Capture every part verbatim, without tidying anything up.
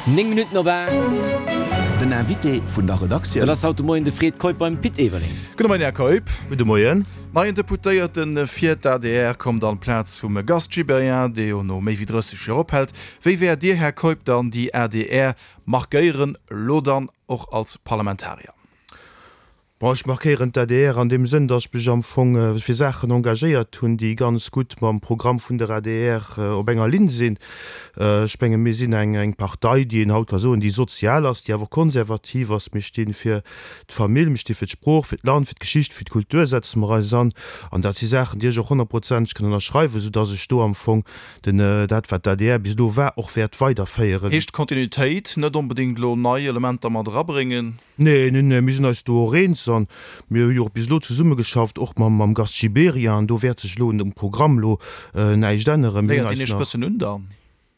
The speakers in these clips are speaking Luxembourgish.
Néng Minutten op aacht. Den Invité vun der Redaktioun. Dat ass haut de Moien de Fred Keup beim Pit Everling. Gudde Moien, Här Keup. Gudde Moien. Neien Deputéierte fir d'ADR kommt an d'Plaz vum Gast Gibéryen, dee jo no méi wéi drësseg Joer ophält. Wéi wäert Dir, Här Keup, dann déi adr markéieren, elo dann och als Parlamentarier? Bon, ech markéieren d'ADR an deem Sënn, datt ech mech am Fong fir Saachen engagéiert hunn, déi ganz gutt mam Programm vun der adr op enger Linn sinn. Ech menge mir sinn eng Partei, déi een haut ka soen, déi sozial ass, déi awer och konservativ ass. Mir sti fir d'Famill, mir sti fir d'Sprooch, fir d'Land, fir d'Geschicht, fir d'Kultur setze mer eis an. An dat si Saachen, déi ech och honnertprozenteg kann ënnerschreiwen, soudatt ech do am Fong den, dat wat d'ADR bis elo war, och wäert weiderféieren. Heescht Kontinuitéit, net onbedéngt elo nei Elementer mat erabréngen? Nee, nee, nee, mir sinn eis do och eens an mir hu jo och bis elo zesummegeschafft, och mam, mam Gast Gibéryen, an do wäert sech elo um Programm elo näischt änneren. Mir hunn Léiert deen eis Iech e nach. bëssen un dann?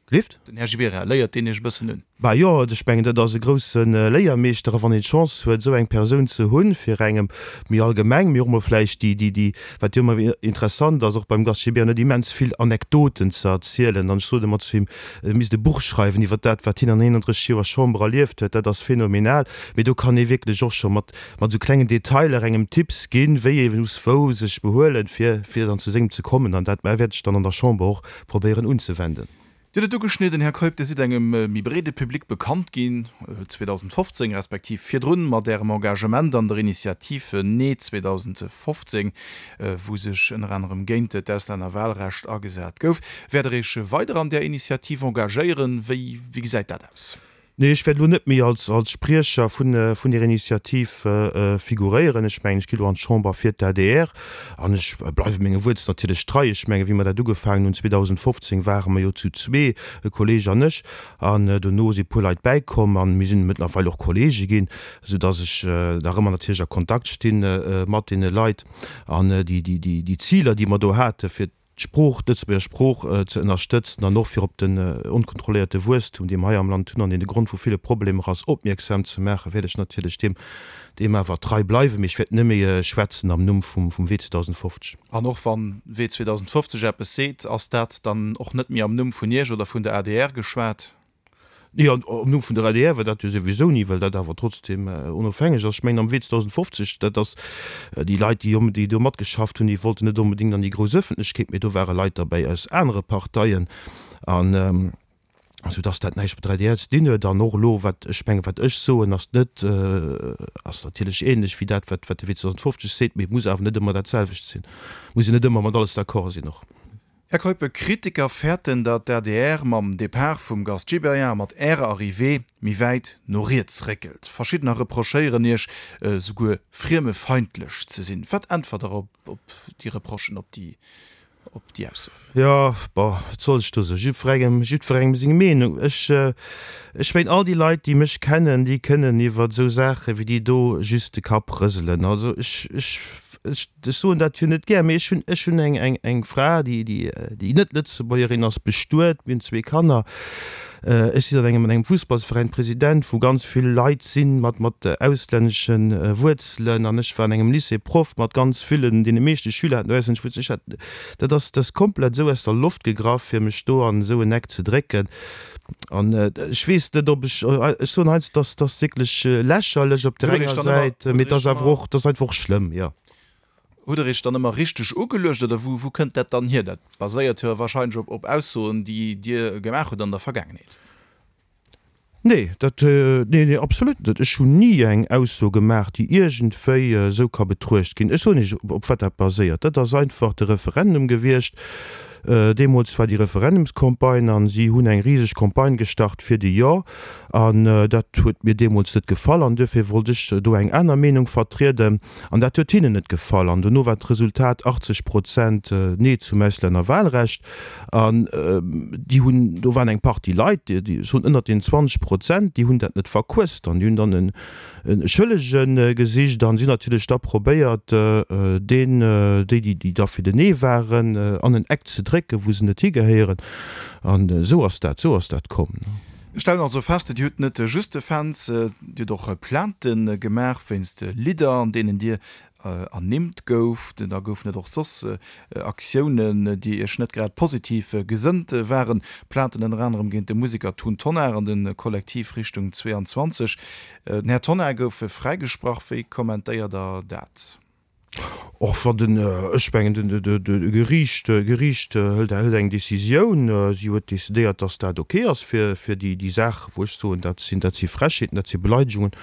Gelift? Den Här Gibéryen, léiert deen Iech e bëssen un? Bah jo, ech mengen, dat ass e grousse Léiermeeschter, a wann een d'Chance huet, esou eng Persoun ze hunn, fir engem méi allgemeng, mee och mol vläicht déi, déi, déi, wat jo ëmmer interessant ass, och beim Gast Gibéryen, huet immens vill Anekdoten ze erzielen. An ech sot ëmmer zu him, e misst e Buch schreiwen iwwer dat, wat hien an eenandrësseg Joer Chamber erlieft huet. Dat ass phänomenal. Mee do kann ee wierklech och scho mat, mat esou klengen Detailer engem Tipps ginn, wéi ee muss wou sech behuelen, fir, fir dann zu sengem ze kommen. An dat wäert ech dann an der Chamber och probéieren unzewenden. Dir hutt et ugeschnidden, Här Keup, Dir sidd engem méi breede Public bekannt ginn zweedausendfofzéng, respektiv virdrun, mat Ärem Engagement an der Initiativ Nee zweedausendfofzéng, wou sech ënner anerem géint d'Auslännerwahlrecht agesat gouf. Wäert Der Iech weider an där Initiativ engagéieren? Wéi gesäit dat aus? Nee, ech wäert elo net méi als als Spriecher vun vun där Initiativ figuréieren. Ech mengen, ech gi elo an d'Chamber fir d'ADR an ech bleiwe menge Wuert natierlech trei. Ech mengen, wéi mer dat ugefaangen hunn zweedausendfofzéng, ware mer jo zu zwee, e Kolleeg an ech, an dono si puer Leit bäikomm a mir sinn mëttlerweil och Kolleege ginn, soudass ech nach ëmmer natierlech a Kontakt sti mat deene Leit. An déi déi déi Ziler, déi mer do hate fir d'Sprooch, d'Lëtzebuerger Sprooch ze ënnerstëtzen an och fir op den onkontrolléierte Wuesstum, dee mer hei am Land hunn an deen de Grond vu ville Problemer ass, opmierksam ze maachen, wäert ech natierlech deem, deem awer trei bleiwen. Mee ech wäert net méi schwätzen am Numm vum, vum Wee zweedausendfofzeg. An och wann Wee zweedausendfofzeg eppes seet, ass dat dann och net méi am Numm vun Iech oder vun der adr geschwat? Nee, an am Numm vun der adr war dat jo souwisou ni, well dat awer trotzdem onofhängeg ass. Ech mengen, am Wee zweedausendfofzeg, dat ass, déi Leit, déi déi do matgeschafft hunn, déi wollten net onbedéngt an déi grouss Ëffentlechkeet, mee do ware Leit derbäi aus anere Parteien, an soudass dat näischt mat der adr ze dinn huet. An och elo, wat ech mengen, wat ech soen, ass net, ass natierlech ähnlech wéi dat, wat wat de Wee zweedausendfofzeg seet, mee et muss awer net ëmmer dat selwecht sinn. Et muss een net ëmmer mat alles d'accord sinn och. Här Keup, Kritiker fäerten, datt d'ADR mam Depart vum Gast Gibéryen a mat Ärer Arrivée méi wäit no riets réckelt. Verschiddener reprochéieren Iech souguer friemefeindlech ze sinn. Wat äntwert Der op déi Reprochen, op déi Aussoen? Jo, bon, wat soll ech do soen? Jiddwerengem, jiddwerengem seng Meenung. Ech, ech mengen, all déi Leit, déi mech kennen, déi kënnen iwwer esou Saache wéi déi do just de Kapp rëselen. Also ech, ech. Ech soen dat jo net gär, mee ech hunn, ech hunn eng, eng, eng Fra, déi, déi, déi net Lëtzebuergerin ass, bestuet, mir hunn zwee Kanner. Ech sinn an engem, an engem Fussballsveräin President, wou ganz vill Leit sinn mat, mat auslännesche Wuerzelen an ech war an engem Lycée Proff mat ganz villen, deene meeschte Schüler haten auslännesch Wuerzelen. Ech hat, dat ass, dat ass komplett esou aus der Loft gegraff, fir mech do an esou en Eck ze drécken. An ech weess net, ob ech, ech soen heiansdo, dass, dass wierklech lächerlech op där enger Säit, mee et ass awer och, et ass einfach och schlëmm, jo. Hutt Der Iech dann ëmmer richteg ugeluecht oder wou, wou kënnt dat dann hier? Dat baséiert jo wahrscheinlech op, op Aussoen, déi Dir gemaach hutt an der Vergaangenheet. Nee, dat, nee, nee, absolut net. Ech hunn ni eng Ausso gemaach, déi iergendwéi esou ka betruecht ginn. Ech soen Iech, op wat dat baséiert. Dat ass einfach de Referendum gewiescht. Deemools war déi Referendumscampagne an si hunn eng riseg Campagne gestart fir de Jo. An dat huet mir deemools net gefall an duerfir wollt ech do eng aner Meenung vertrieden. An dat huet hinnen net gefall. An dono war d'Resultat achtzeg Prozent Nee zum Auslännerwahlrecht. An déi hunn, do waren eng Partie Leit, déi, ech soen ënnert den zwanzeg Prozent, déi hunn dat net verquësst an déi hunn dann en Schëllege gesicht an si hunn natierlech da probéiert, deen, déi, déi da fir den Nee waren, an en Eck ze drécken, wou se net higehéieren. An esou ass dat, esou ass dat komm. Mir stellen also fest, Dir hutt net just Fans, Dir hutt och Plaintë gemaach wéinst Lidder, an deenen Dir ernimmt gouf. Da goufen et och soss Aktiounen, déi Iech net grad positiv gesënnt waren. Plainten ënner anerem géint de Museker Tun Tonnar an de Kollektiv Richtung zweiundzwanzeg. Den Här Tonnar gouf fräigesprach. Wéi kommentéiert Der dat? Och wann den, ech mengen, den, de, de Geriicht, Geriicht hëlt, hëlt eng Décisioun. Si huet décidéiert, dass dat ok ass fir, fir déi, déi Saach, wou ech soen, dat sinn, dat si Frechheeten, dat si Beleidegungen.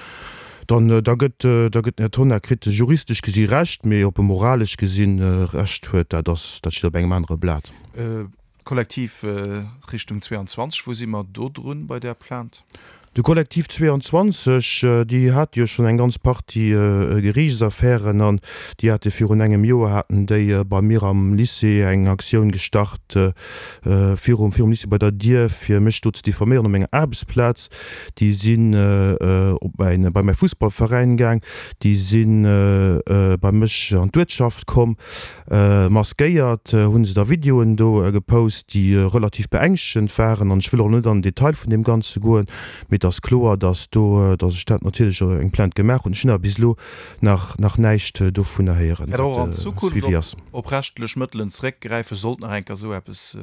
Dann, da gëtt, da gëtt den Här Tonnar, kritt e juristesch gesi Recht, mee ob e moralesch gesinn Recht huet, dat ass, dat steet op engem anere Blat. Kollektiv Richtung zweiundzwanzeg, wou si mer do drun bei där Plainte? De Kollektiv zweiundzwanzeg, déi hate jo schonn eng ganz Partie Geriichtsaffären an déi hate virun engem Joer haten déi bei mir am Lycée eng Aktioun gestart virum virum Lycée bei der Dier, fir mech do ze diffaméieren op menger Aarbechtsplaz. Déi sinn op mäin bei mäi Fussballveräin gaang, déi si bei mech an d'Uertschaft komm. Maskéiert hunn se da Videoen do gepost, déi relativ beängschtegend waren. An ech wëll och net an den Detail vun deem Ganze goen, mee et ass kloer, dass do, dass ech dat natierlech och eng Plainte gemaach hunn. Ech hunn awer bis elo nach, nach näischt dovunner héieren, Wäert och wat an de Zukunft Suivi op, ass. op rechtlech Mëttelen zeréckgräifen, sollt nach eng Kéier esou eppes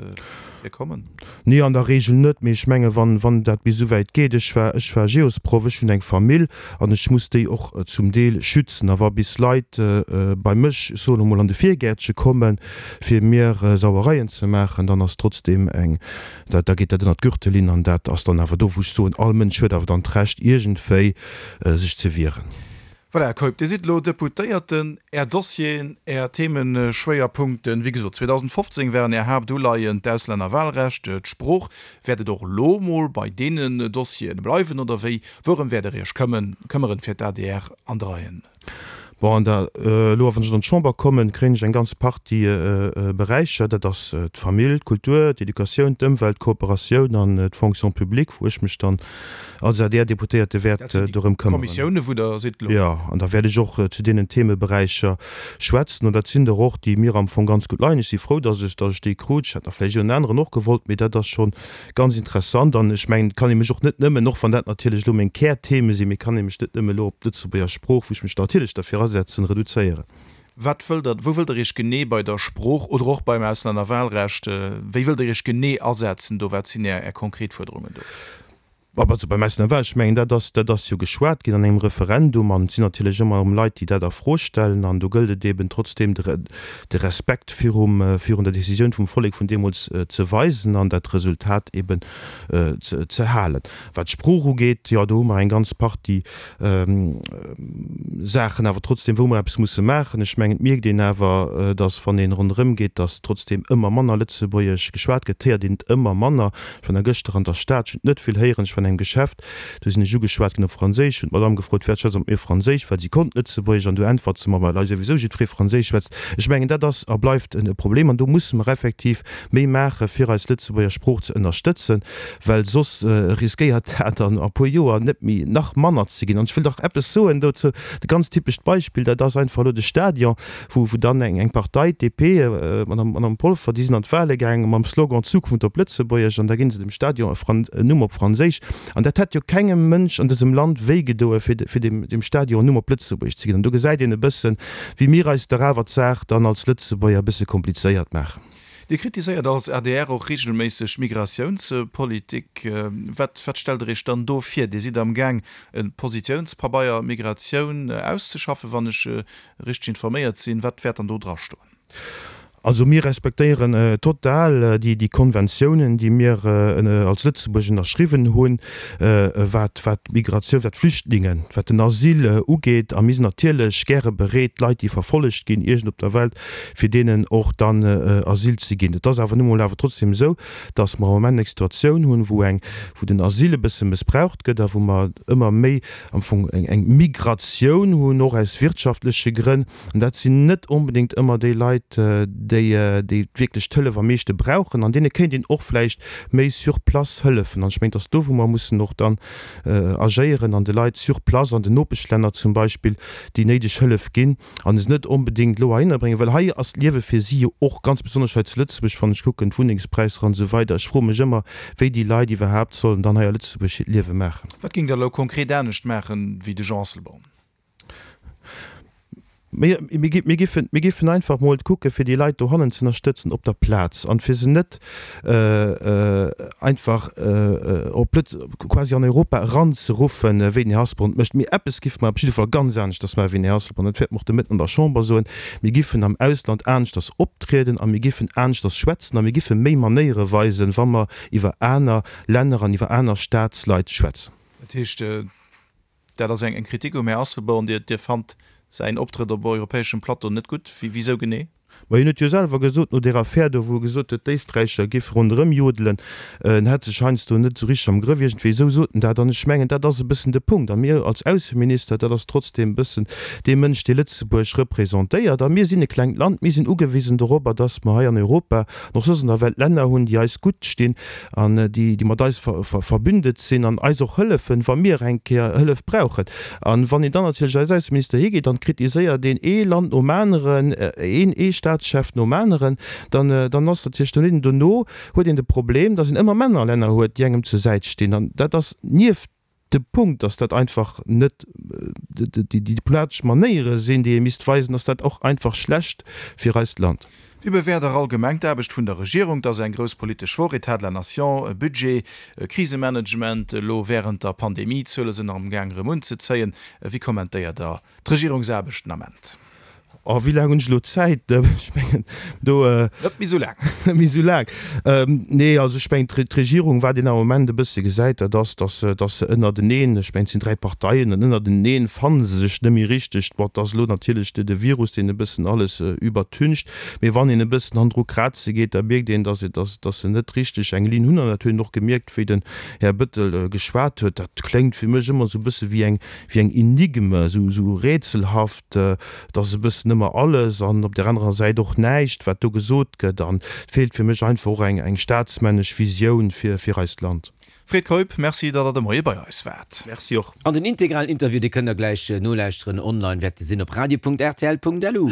virkommen? Nee, an der Regel net, mee ech menge wann, wann dat bis esouwäit geet, ech war, ech war Geosproff, ech hunn eng Famill an ech muss déi och zum Deel schützen. A wa bis Leit bei mech, ech soen emol, an de Virgäertche kommen, fir mir Sauereien ze maachen, dann ass trotzdeem eng, da, da geet dat ënnert d'Gürtellinn an dat ass dann awer do, wou ech soen, all Mënsch huet awer dann d'Recht iergendwéi sech ze wieren. Voilà, Här Keup, Dir sidd elo Deputéierten. Är Dossieren, Är Themeschwéierpunkten, wéi gesot, zweedausendfofzéng waren Är Haaptuleien d'Auslännerwahlrecht, d'Sprooch. Wäert et och elo mol bei deenen Dossieren bleiwen oder wéi? Wourëm wäert Der Iech këmmen, këmmeren, fir d'ADR an d'Reien? Bon, an der, elo wann ech an d'Chamber kommen, kréien ech eng ganz Partie Beräicher. Dat ass d'Famill, d'Kultur, d'Educatioun, d'Ëmwelt, d'Kooperatioun an d'Fonction publique, wou ech mech dann als A D R-Deputéierte wäert Dat sinn déi dorëm këmmeren. Kommissioune wou Der sidd elo. Jo, an da wäert ech och zu deenen Themeberäicher schwätzen. An dat sinn der och, déi mir am Fong ganz gutt leien. Ech si frou, dass ech, dass ech déi krut. Ech hätt der vläicht en aneren och gewollt, mee dat ass scho ganz interessant. An ech mengen, et kann ee mech och net nëmmen, och wann dat natierlech elo meng Kärtheme sinn, mee kann ee mech net nëmme elo op d'Lëtzebuerger Sprooch, wou ech mech natierlech derfir asetzen, reduzéieren. Wat wëllt Der, wou wëllt Der Iech genee bei der Sprooch oder och beim Auslännerwahlrecht, wéi wëllt Der Iech genee asetzen do? Wat sinn Är, Är konkret Fuerderungen do? Also beim Auslännerwahlrecht, ech mengen, dat ass, dat ass jo geschwat ginn an engem Referendum an et sinn natierlech ëmmer erëm Leit, déi dat a Fro stellen an do gëllt et eeben trotzdeem de, de Respekt virum, virun der Décisioun vum Vollek vun deemools ze weisen an dat Resultat eeben ze, ze halen. Wat d'Sprooch ugeet, jo, do hu mer eng ganz Partie Saachen awer trotzdeem, wou mer eppes musse maachen. Ech mengen, et mierkt een awer, datt wann een ronderëm geet, datt trotzdeem ëmmer manner Lëtzebuergesch geschwat gëtt, et héiert een et ëmmer manner. Ech war nach gëschter an der Stad, ech hunn et net vill héieren, ech war an engem Geschäft, do sinn ech ugeschwat ginn op Franséisch, hunn d'Madame gefrot, Firwat schwätzt Der mat mir Franséisch? Well si konnt Lëtzebuergesch an du äntwert se mer, Well hei souwisou jiddweree Franséisch schwätzt. Ech mengen, dat ass a bleift e Problem an do musse mer effektiv méi maachen, fir eis Lëtzebuerger Sprooch ze ënnerstëtzen, well soss riskéiert dat an e puer Joer net méi, nach manner ze ginn. An ech wëll nach eppes soen dozou, e ganz typescht Beispill, dat ass einfach elo de Stadion, wou dann eng Partei, d'D P, Madame Polfer, déi sinn an d'Wahle gaangen mam Slogan Zukunft op Lëtzebuergesch an da ginn se dem Stadion en Numm op Franséisch. An dat hätt jo kengem Mënsch an dësem Land wéigedoe fir dem Stadion en Numm op Lëtzebuergesch ze ginn. An do gesäit een e bëssen, wéi mir eis dach awer d'Saach dann als Lëtzebuerger e bësse komplizéiert maachen. Dir kritiséiert als A D R och reegelméisseg d'Migratiounspolitik. Wat wat stellt Der Iech dann do vir? Dir sidd am Gaang e Positiounspabeier Migratioun auszeschaffen, wann ech richteg informéiert sinn. Wat wäert dann do drastoen? Also mir respektéieren total déi Konventiounen, déi mir als Lëtzebuerg ënnerschriwwen hunn, wat d'Migratioun, wat d'Flüchtlingen, wat den Asyl ugeet. A mir sinn natierlech gäre bereet, Leit, déi verfollegt ginn iergend op der Welt, fir deenen och dann Asyl ze ginn. Et ass awer nu mol awer trotzdem esou, datt mer am Moment eng Situatioun hunn, wou eng, wou den Asyl e bësse mëssbraucht gëtt a wou mer ëmmer méi am Fong eng Migratioun hunn, och aus wirtschaftleche Grënn. An dat sinn net onbedéngt ëmmer déi Leit, déi, déi wierklech d'Hëllef am meeschte brauchen. An deene kéint een och vläicht méi sur place hëllefen. An ech mengen, et ass do, wou mer mussen och dann agéieren an de Leit sur place, an den Nopeschlänner zum Beispill, déi néideg Hëllef ginn an se net onbedéngt elo heihinner bréngen, well hei ass d'Liewe fir si jo och, ganz besonnesch hei zu Lëtzebuerg, wann ech kucken, d'Wunnengspräisser an esou weider, ech froe mech ëmmer, wéi déi Leit iwwerhaapt sollen dann hei a Lëtzebuerg hiert Liewe maachen. Wat géingt Der elo konkret anescht maachen wéi de Jean Asselborn? Mir, mir, mir, giffen, mir giffen einfach mol kucke fir déi Leit dohannen ze ënnerstëtzen op der Plaz an fir se net äh, äh, einfach äh, op Lëtz, quasi an Europa eranzeruffen, wéi den Här Asselborn mécht. Mee eppes giffe mer op jidde Fall ganz aneschters maachen wéi den Här Asselborn, dat wäerte mer och de Mëtten an der Chamber soen, Mir giffen am Ausland aneschters optrieden a mir giffen aneschters schwätzen a mir giffe méi Manéiere weisen, wa mer iwwer aner Länner an iwwer aner Staatsleit schwätzen. Dat heescht, dat ass eng Kritik um Här Asselborn, Dir, Dir fannt säin Optrëtt op europäeschem Plateau net gutt? Wisou genee? Ma hien huet jo selwer gesot, no där Affär do, wou e gesot huet, d'Éisträicher géife ronderëm jodelen, en hätt sech heiansdo net esou richteg am Grëff, iergendwéi esou sot en dat. An ech mengen, dat ass e bëssen de Punkt. A mir als Ausseminister, dat ass trotzdeem e bëssen dee Mënsch, dee Lëtzebuerg representéiert. A mir sinn e klengt Land, mir sinn ugewisen dorobber, datt mer hei an Europa an och soss an der Welt Länner hunn, déi eis gutt stinn an déi, déi mat eis verbündet sinn an eis och hëllefen, wa mir eng Kéier Hëllef brauchen. A wann een dann natierlech als Ausseminister higeet an kritiséiert een ee Land nom aneren, een, ee Staatschef nom aneren, dann, dann ass natierlech dono, dono huet een de Problem, datt een ëmmer manner Länner huet, déi engem zur Säit stinn. An dat ass nieft dem Punkt, datt dat einfach net déi diplomatesch Manéiere sinn, déi ee misst weisen, ass dat och einfach schlecht fir eist Land. Wéi bewäert Der allgemeng d'Aarbecht vun der Regierung? Et ass eng grouss politesch Woch, État de la nation, Budget, Krisemanagement, elo wärend der Pandemie, d'Zuele sinn nach am Gaang erëm unzezéien. Wéi kommentéiert Der d'Regierungsaarbecht den Ament? Oh, wéi laang hunn ech elo Zäit? Ech mengen, do. Net méi esou laang. Net méi esou laang. Nee, also ech mengen, d'Regierung, wat een am Moment e bësse gesäit, dat ass, datt se, datt se ënnerteneen, ech mengen, et sinn dräi Parteien, an ënnerteneen fanne se sech net méi richteg. Bon, et ass elo natierlech de Virus, deen e bëssen alles iwwertüncht, mee wann een e bëssen hannendru kraze geet, da mierkt een, datt, datt, datt se net richteg eng Linn hunn. An dat huet een och gemierkt, wéi den Här Bettel geschwat huet. Dat kléngt fir mech ëmmer esou e bësse wéi eng, wéi eng Enigme, esou, esou rätselhaft. Et ass e bëssen ëmmer alles an op där anerer Säit och näischt, wat do gesot gëtt. An et feelt fir mech einfach och eng staatsmännesch Visioun fir eist Land. Fred Keup, Merci, datt Der de Moie bei eis waart. Merci och. An den integralen Interview, dee kënnt der gläich nolauschteren online, wäert de sinn op radio.rtl.lu.